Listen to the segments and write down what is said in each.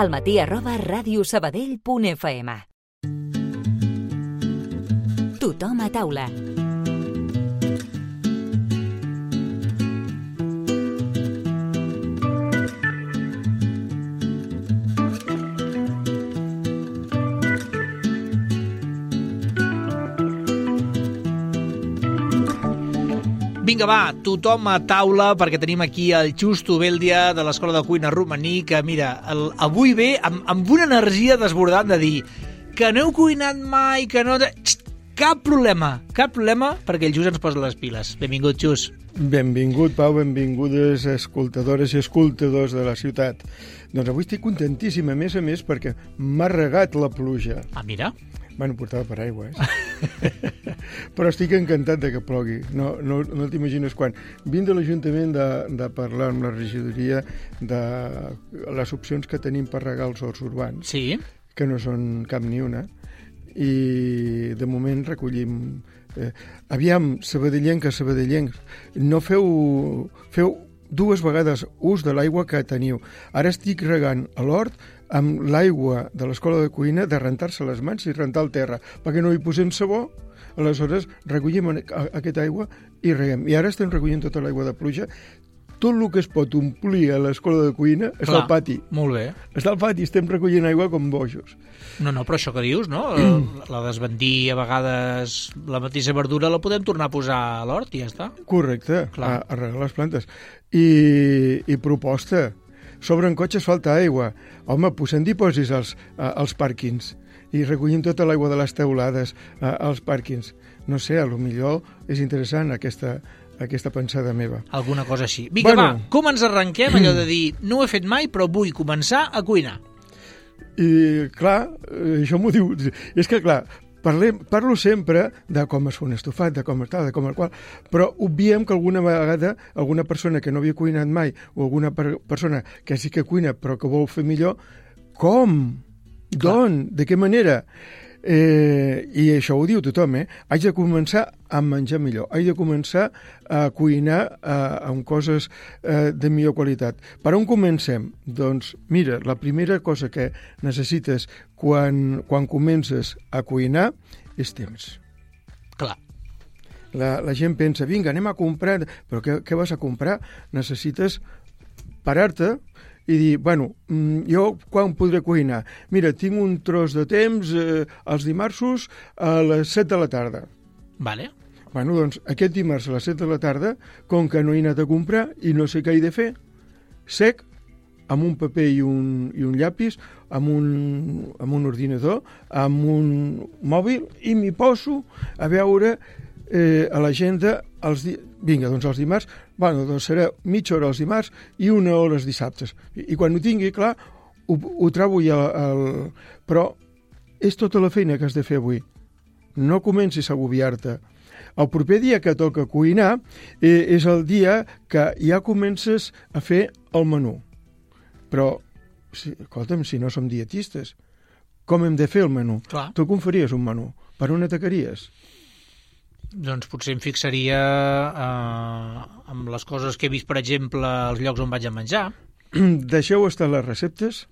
almatí@radiosabadell.fm. Tothom a taula. Vinga, va, tothom a taula, perquè tenim aquí el Justo Bèldia de l'Escola de Cuina Romaní, que mira, avui ve amb una energia desbordant de dir que no heu cuinat mai, que no... Cap problema, perquè el Just ens posa les piles. Benvingut, Just. Benvingut, Pau, benvingudes escoltadores i escoltadors de la ciutat. Doncs avui estic contentíssim, a més, perquè m'ha regat la pluja. Ah, mira. Bueno, portava paraigua, però estic encantat de que plogui. No t'imagines quan. Vinc de l'Ajuntament de parlar amb la regidoria de les opcions que tenim per regar els horts urbans, sí, que no són cap ni una, i de moment recollim... Aviam, sabadellencs, no feu 2 vegades ús de l'aigua que teniu. Ara estic regant a l'hort amb l'aigua de l'escola de cuina de rentar-se les mans i rentar el terra, perquè no hi posem sabó. Aleshores recollim aquesta aigua i reguem. I ara estem recollint tota l'aigua de pluja. Tot el que es pot omplir a l'escola de cuina està al pati. Molt bé. Està al pati, estem recollint aigua com bojos. No, però això que dius, no? La desbandir, a vegades, la mateixa verdura la podem tornar a posar a l'hort i ja està. Correcte, a regar les plantes. I proposta, sobren cotxes, falta aigua. Home, posem dipòsits als pàrquings i recollim tota l'aigua de les teulades als pàrquings. No sé, potser és interessant aquesta pensada meva. Alguna cosa així. Vinga, va, com ens arrenquem allò de dir no ho he fet mai, però vull començar a cuinar? I, clar, això m'ho diu... És que, clar, parlo sempre de com es fa un estofat, de com està, de com el qual, però obviem que alguna vegada alguna persona que no havia cuinat mai o alguna persona que sí que cuina però que vol fer millor, com? D'on? De què manera? I això ho diu tothom, haig de començar a menjar millor, haig de començar a cuinar amb coses de millor qualitat. Per on comencem? Doncs mira, la primera cosa que necessites quan comences a cuinar és temps. Clar. La gent pensa, vinga, anem a comprar, però què vas a comprar? Necessites parar-te i dir, bueno, jo quan podré cuinar? Mira, tinc un tros de temps els dimarts a les 7 de la tarda. Vale. Bueno, doncs aquest dimarts a les 7 de la tarda, com que no he anat a comprar i no sé què he de fer, sec, amb un paper i un llapis, amb un ordinador, amb un mòbil, i m'hi poso a veure a l'agenda vinga, doncs els dimarts, bueno, doncs serà mitja hora els dimarts i 1 hora els dissabtes. I quan ho tingui clar, ho trobo ja. Però és tota la feina que has de fer avui. No comencis a agobiar-te. El proper dia que toca cuinar és el dia que ja comences a fer el menú. Però, escolta'm, si no som dietistes, com hem de fer el menú? Clar. Tu com faries un menú? Per on atacaries? Doncs potser em fixaria amb les coses que he vist, per exemple, als llocs on vaig a menjar. Deixeu estar les receptes,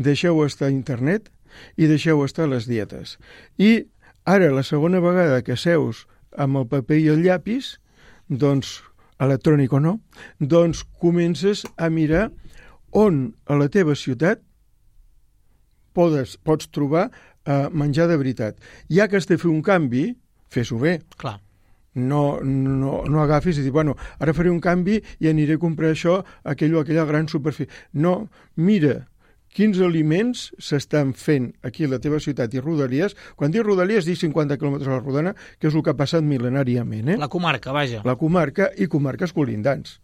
deixeu estar internet i deixeu estar les dietes. I ara, la segona vegada que seus amb el paper i el llapis, doncs, electrònic o no, doncs comences a mirar on a la teva ciutat pots trobar menjar de veritat. Ja que has de fer un canvi, fes-ho bé. Clar. No agafis i dir, bueno, ara faré un canvi i aniré a comprar això, aquella gran superfície. No, mira quins aliments s'estan fent aquí a la teva ciutat i rodalies. Quan dic rodalies, dic 50 quilòmetres a la rodana, que és el que ha passat mil·lenàriament. La comarca, vaja. La comarca i comarques colindants.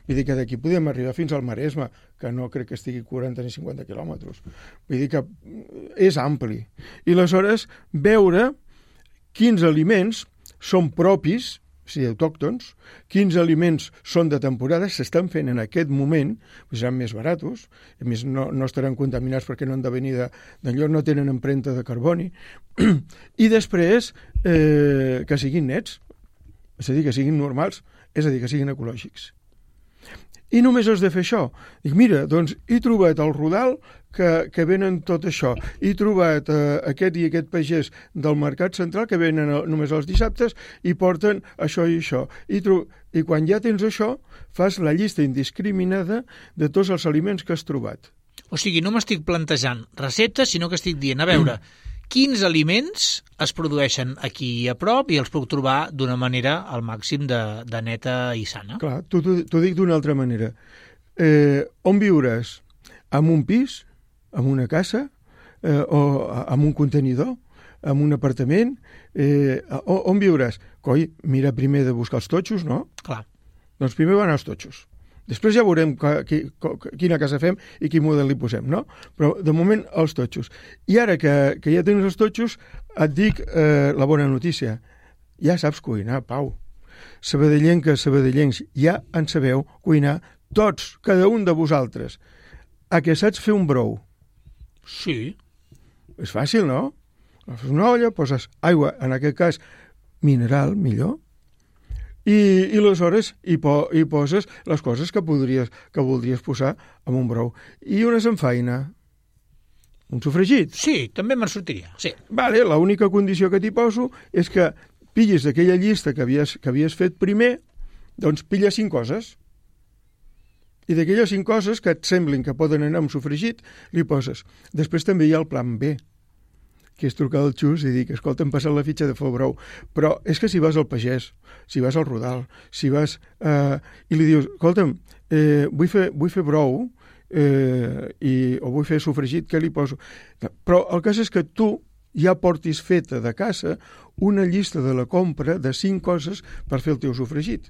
Vull dir que d'aquí podem arribar fins al Maresme, que no crec que estigui 40 ni 50 quilòmetres. Vull dir que és ampli. I aleshores veure quins aliments són propis, o sigui, autòctons, quins aliments són de temporada, s'estan fent en aquest moment, seran més baratos, a més no estaran contaminats perquè no han de venir d'enlloc, no tenen empremta de carboni, i després que siguin nets, és a dir, que siguin normals, és a dir, que siguin ecològics. I només has de fer això. Dic, mira, doncs he trobat el Rodal que venen tot això. He trobat aquest i aquest pagès del Mercat Central que venen només els dissabtes i porten això i això. I quan ja tens això, fas la llista indiscriminada de tots els aliments que has trobat. O sigui, no m'estic plantejant receptes, sinó que estic dient, a veure, quins aliments es produeixen aquí a prop i els puc trobar d'una manera al màxim de neta i sana. Clar, t'ho dic d'una altra manera. On viuràs? En un pis? En una casa? O en un contenidor? En un apartament? On viuràs? Coi, mira primer de buscar els totxos, no? Clar. Doncs primer van els totxos. Després ja veurem quina casa fem i quin model li posem, no? Però, de moment, els totxos. I ara que ja tens els totxos, et dic la bona notícia. Ja saps cuinar, Pau. Sabadellencs, ja en sabeu cuinar tots, cada un de vosaltres. A què saps fer un brou? Sí. És fàcil, no? Fas una olla, poses aigua, en aquest cas mineral, millor, i aleshores hi poses les coses que voldries posar en un brou. I una samfaina, un sofregit. Sí, també me'n sortiria, sí. Vale, l'única condició que t'hi poso és que pillis d'aquella llista que havies fet primer, doncs pilla 5 coses. I d'aquelles 5 coses que et semblin que poden anar amb sofregit, li poses. Després també hi ha el plan B, que és trucar al Xus i dir que, escolta, em passen la fitxa de fer brou. Però és que si vas al pagès, si vas al Rodal, si vas... i li dius, escolta'm, vull fer brou o vull fer sofregit, què li poso? Però el cas és que tu ja portis feta de casa una llista de la compra de 5 coses per fer el teu sofregit.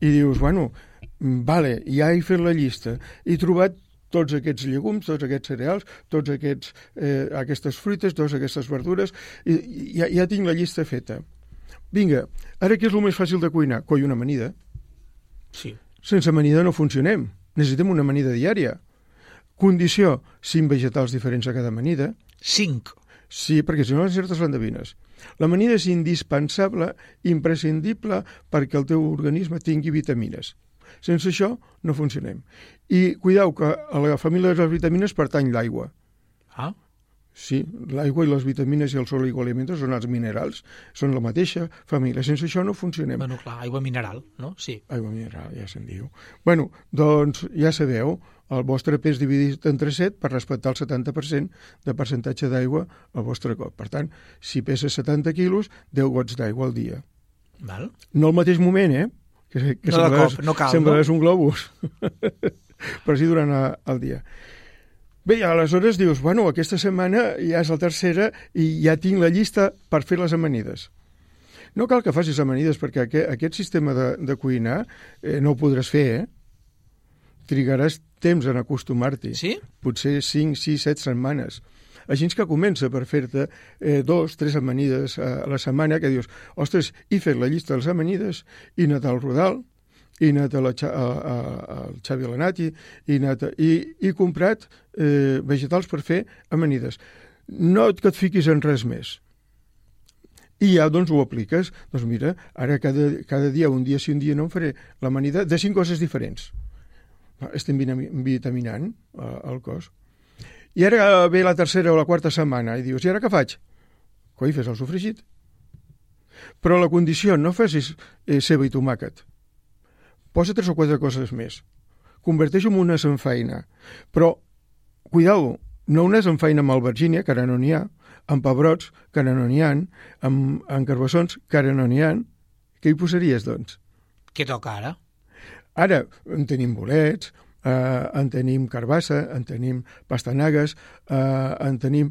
I dius, bueno, vale, ja he fet la llista, he trobat tots aquests llegums, tots aquests cereals, tots aquestes fruites, totes aquestes verdures, i ja tinc la llista feta. Vinga, ara què és el més fàcil de cuinar? Coi, una amanida. Sí. Sense amanida no funcionem. Necessitem una amanida diària. Condició, 5 vegetals diferents a cada amanida. 5. Sí, perquè si no les certes l'endevines. L'amanida és indispensable, imprescindible, perquè el teu organisme tingui vitamines. Sense això no funcionem. I cuideu que a la família de les vitamines pertany l'aigua. Ah? Sí, l'aigua i les vitamines i els oligoelementos són els minerals, són la mateixa família. Sense això no funcionem. Bueno, clar, aigua mineral, no? Sí. Aigua mineral, ja se'n diu. Bueno, doncs ja sabeu, el vostre pes dividit entre 7 per respectar el 70% de percentatge d'aigua al vostre cop. Per tant, si pesa 70 quilos, 10 gots d'aigua al dia. Val. No al mateix moment, que no de cop, no cal, sembraràs un globus. Però sí durant el dia. Bé, aleshores dius, bueno, aquesta setmana ja és la tercera i ja tinc la llista per fer les amanides. No cal que facis amanides, perquè aquest sistema de cuinar no ho podràs fer, Trigaràs temps en acostumar-t'hi. Sí? Potser 5, 6, 7 setmanes. Així que comença per fer-te 2, 3 amanides a la setmana, que dius, ostres, he fet la llista de les amanides, he anat al Rodal, he anat al Xavi Alenati, he comprat vegetals per fer amanides. No que et fiquis en res més. I ja doncs ho apliques. Doncs mira, ara cada dia, un dia sí, un dia no, em faré l'amanida de 5 coses diferents. Estem vitaminant el cos. I ara ve la tercera o la quarta setmana i dius, i ara què faig? Coi, fes el sofregit. Però la condició, no facis ceba i tomàquet. Posa 3 o 4 coses més. Converteix-ho en una samfaina. Però, cuidao, no una samfaina amb albergínia, que ara no n'hi ha, amb pebrots, que ara no n'hi ha, amb carbassons, que ara no n'hi ha. Què hi posaries, doncs? Què toca ara? Ara en tenim bolets, en tenim carbassa, en tenim pastanagues, en tenim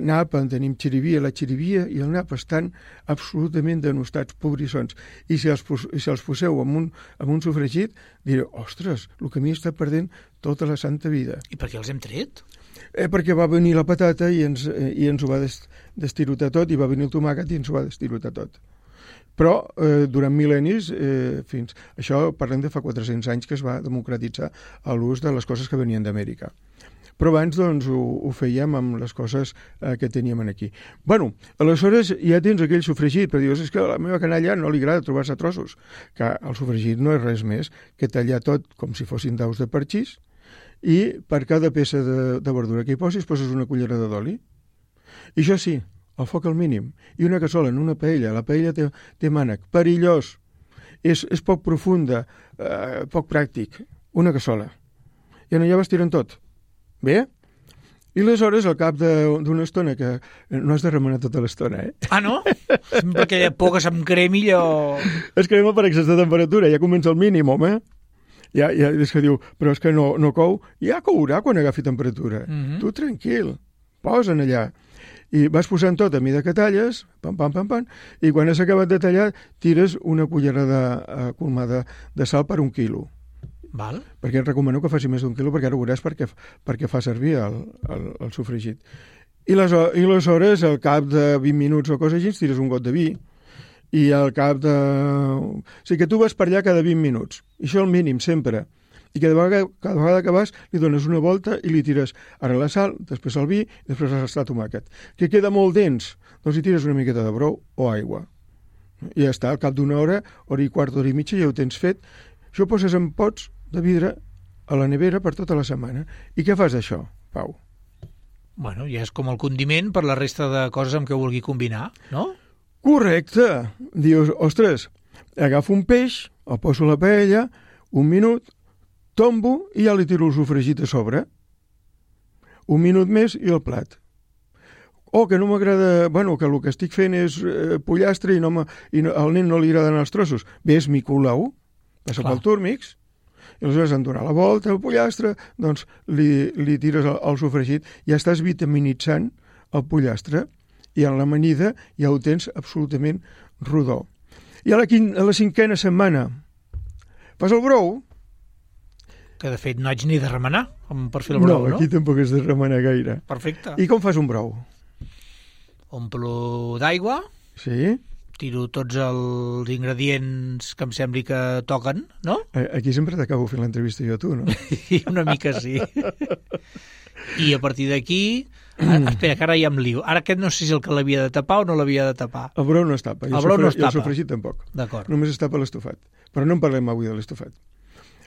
nap, en tenim xirivia. La xirivia i el nap estan absolutament denostats, pobrissons. I si els poseu amb un sofregit, direu, ostres, el que m'hi està perdent tota la santa vida. I per què els hem tret? Perquè va venir la patata i ens ho va destirotar tot, i va venir el tomàquet i ens ho va destirotar tot. Però durant mil·lennis, això parlem de fa 400 anys que es va democratitzar l'ús de les coses que venien d'Amèrica. Però abans doncs, ho fèiem amb les coses que teníem aquí. Bueno, aleshores ja tens aquell sofregit, però dius, és que a la meva canalla no li agrada trobar-se trossos. Que el sofregit no és res més que tallar tot com si fossin daus de parxís i per cada peça de verdura que hi poses una cullerada d'oli. I això sí, el foc al mínim. I una cassola en una paella. La paella té mànec. Perillós. És poc profunda, poc pràctic. Una cassola. I allà vas tirant tot. Bé? I aleshores, al cap d'una estona, que no has de remenar tota l'estona, Ah, no? Sempre aquella por que se'm cremi allò... Es crema per excés de temperatura, ja comença el mínim, home. Ja és que diu, però és que no cou. Ja courà quan agafi temperatura. Tu tranquil, posa'n allà. I vas posant tot a mida que talles, pam, i quan has acabat de tallar, tires una cullerada colmada de sal per 1 quilo. Val. Perquè et recomano que faci més d'1 quilo, perquè ara ho veuràs perquè fa servir el sofregit. I aleshores, al cap de 20 minuts o cosa així, tires un got de vi, i al cap de... O sigui que tu vas per allà cada 20 minuts. I això és el mínim, sempre. I cada vegada que vas li dones una volta i li tires ara la sal, després el vi, i després el tomàquet. Que queda molt dens, doncs hi tires una miqueta de brou o aigua. I ja està, al cap d'una hora i quart, hora i mitja, ja ho tens fet. Això ho poses en pots de vidre a la nevera per tota la setmana. I què fas d'això, Pau? Bueno, ja és com el condiment per la resta de coses amb què vulgui combinar, no? Correcte! Dius, ostres, agafo un peix, el poso a la paella, 1 minut, tombo i ja li tiro el sofregit a sobre. 1 minut més i el plat. O que no m'agrada... Bueno, que el que estic fent és pollastre i al nen no li agraden els trossos. Bé, és micolau, passa pel túrmix, i aleshores en donar la volta al pollastre, doncs li tires el sofregit, ja estàs vitaminitzant el pollastre i en l'amanida ja ho tens absolutament rodó. I a la 5a setmana fas el brou. Que de fet no haig ni de remenar per fer el brou, no? No, aquí tampoc has de remenar gaire. Perfecte. I com fas un brou? Omplo d'aigua. Sí. Tiro tots els ingredients que em sembli que toquen, no? Aquí sempre t'acabo fent l'entrevista jo a tu, no? I una mica sí. I a partir d'aquí... Espera, que ara ja em lio. Ara aquest no sé si el que l'havia de tapar o no l'havia de tapar. El brou no es tapa. El brou no es tapa. I el sofregit tampoc. D'acord. Només es tapa l'estofat. Però no en parlem avui de l'estofat.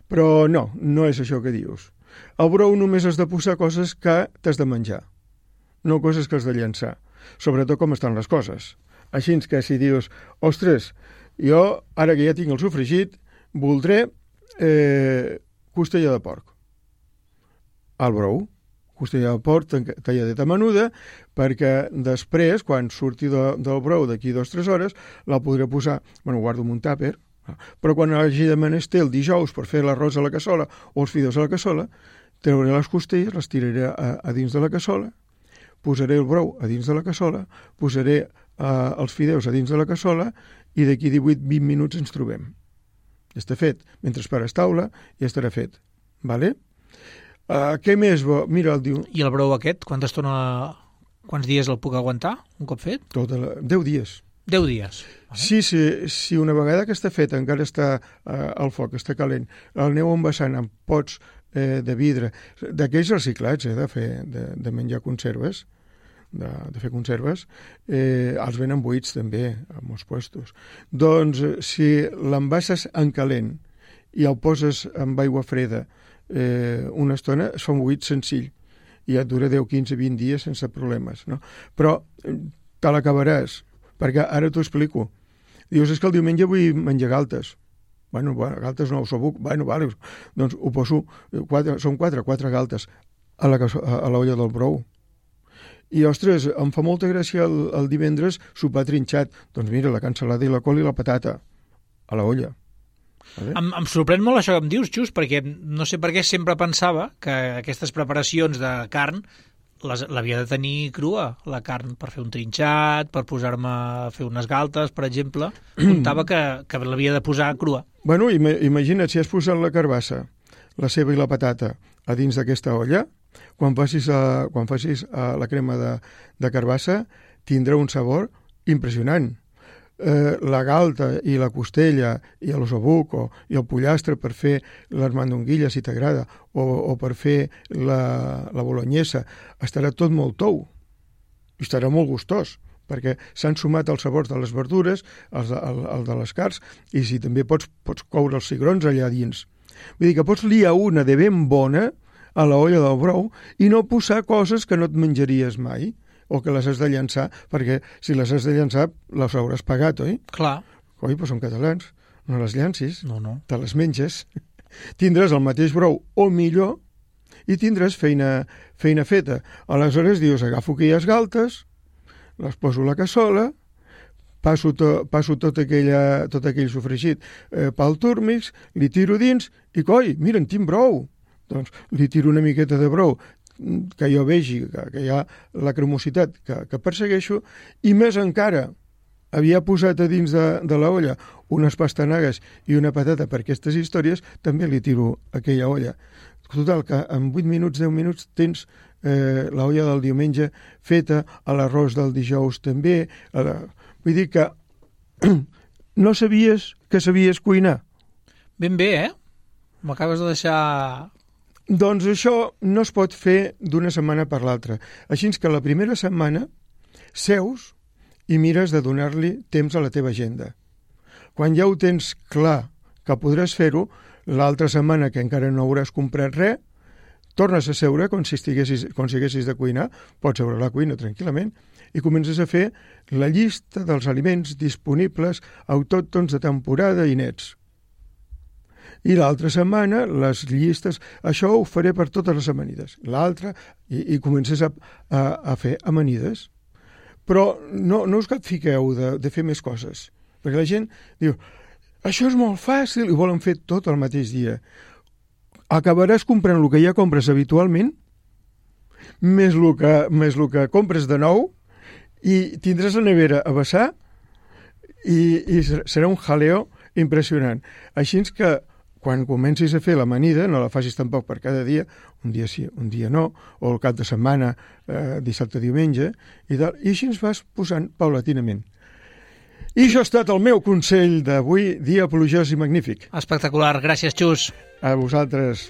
Però no és això que dius. El brou només has de posar coses que t'has de menjar, no coses que has de llançar. Sobretot com estan les coses. Així que si dius, ostres, jo, ara que ja tinc el sofregit, voldré costella de porc. Al brou, costella de porc talladeta menuda, perquè després, quan surti del brou d'aquí 2 o 3 hores, la podré posar, bueno, guardo en un tàper, però quan hagi de menester el dijous per fer l'arròs a la cassola o els fideus a la cassola, trauré les costelles, les tiraré a dins de la cassola, posaré el brou a dins de la cassola, posaré els fideus a dins de la cassola i d'aquí 18-20 minuts ens trobem. Ja està fet. Mentre esperes taula, ja estarà fet. Vale? Què més? Mira, el diu... I el brou aquest, quants dies el puc aguantar, un cop fet? 10 dies. 10 dies. Sí, si una vegada que està fet encara està al foc, està calent, el aneu envasant en pots de vidre, d'aquells reciclats, de menjar conserves, de fer conserves, els venen buits també a molts puestos. Doncs si l'envases en calent i el poses amb aigua freda una estona, es fa un buit senzill i et dura 10, 15, 20 dies sense problemes, no? Però te l'acabaràs, perquè ara t'ho explico. Dius, és que el diumenge vull menjar galtes. Bueno, galtes no, osobuc, vale, doncs ho poso, són 4 galtes a l'olla del brou. I, ostres, em fa molta gràcia el divendres sopar trinxat. Doncs mira, la cansalada i la col i la patata a la olla. Em sorprèn molt això que em dius, Xus, perquè no sé per què sempre pensava que aquestes preparacions de carn l'havia de tenir crua, la carn, per fer un trinxat, per posar-me a fer unes galtes, per exemple. Comptava que l'havia de posar crua. Bueno, imagina't, si has posat la carbassa, la ceba i la patata a dins d'aquesta olla, quan facis la crema de carbassa, tindrà un sabor impressionant. la galta i la costella i l'osobuc i el pollastre per fer les mandonguilles, si t'agrada, o per fer la bolognesa, estarà tot molt tou i estarà molt gustós, perquè s'han sumat els sabors de les verdures, el de les carns, i si també pots coure els cigrons allà dins. Vull dir que pots liar una de ben bona a la olla del brou i no posar coses que no et menjaries mai, o que les has de llançar, perquè si les has de llançar les hauràs pagat, oi? Clar. Oi, però són catalans, no les llancis, No. te les menges. Tindràs el mateix brou o millor i tindràs feina feta. Aleshores dius, agafo aquelles galtes, les poso a la cassola, passo tot aquell sofregit pel túrmix, li tiro dins i coi, mira, en tinc brou. Doncs li tiro una miqueta de brou que jo vegi que hi ha la cremositat que persegueixo, i més encara havia posat a dins de la olla unes pastanagues i una patata per aquestes històries, també li tiro aquella olla. Total, que en 8 minuts, 10 minuts tens la olla del diumenge feta, a l'arròs del dijous també. Vull dir que no sabies que sabies cuinar. Ben bé, M'acabes de deixar... Doncs això no es pot fer d'una setmana per l'altra. Així que la primera setmana seus i mires de donar-li temps a la teva agenda. Quan ja ho tens clar que podràs fer-ho, l'altra setmana que encara no hauràs comprat res, tornes a seure com si haguessis de cuinar, pots seure a la cuina tranquil·lament, i comences a fer la llista dels aliments disponibles autòctons de temporada i nets. I l'altra setmana, les llistes, això ho faré per totes les amanides. L'altra, i comences a fer amanides. Però no us capfiqueu de fer més coses. Perquè la gent diu, això és molt fàcil, i volen fer tot el mateix dia. Acabaràs comprant el que ja compres habitualment, més el que compres de nou, i tindràs la nevera a vessar, i serà un jaleo impressionant. Així que quan comencis a fer l'amanida, no la facis tampoc per cada dia, un dia sí, un dia no, o el cap de setmana, dissabte, diumenge, i així ens vas posant paulatinament. I això ha estat el meu consell d'avui, dia plujós i magnífic. Espectacular, gràcies, Xus. A vosaltres.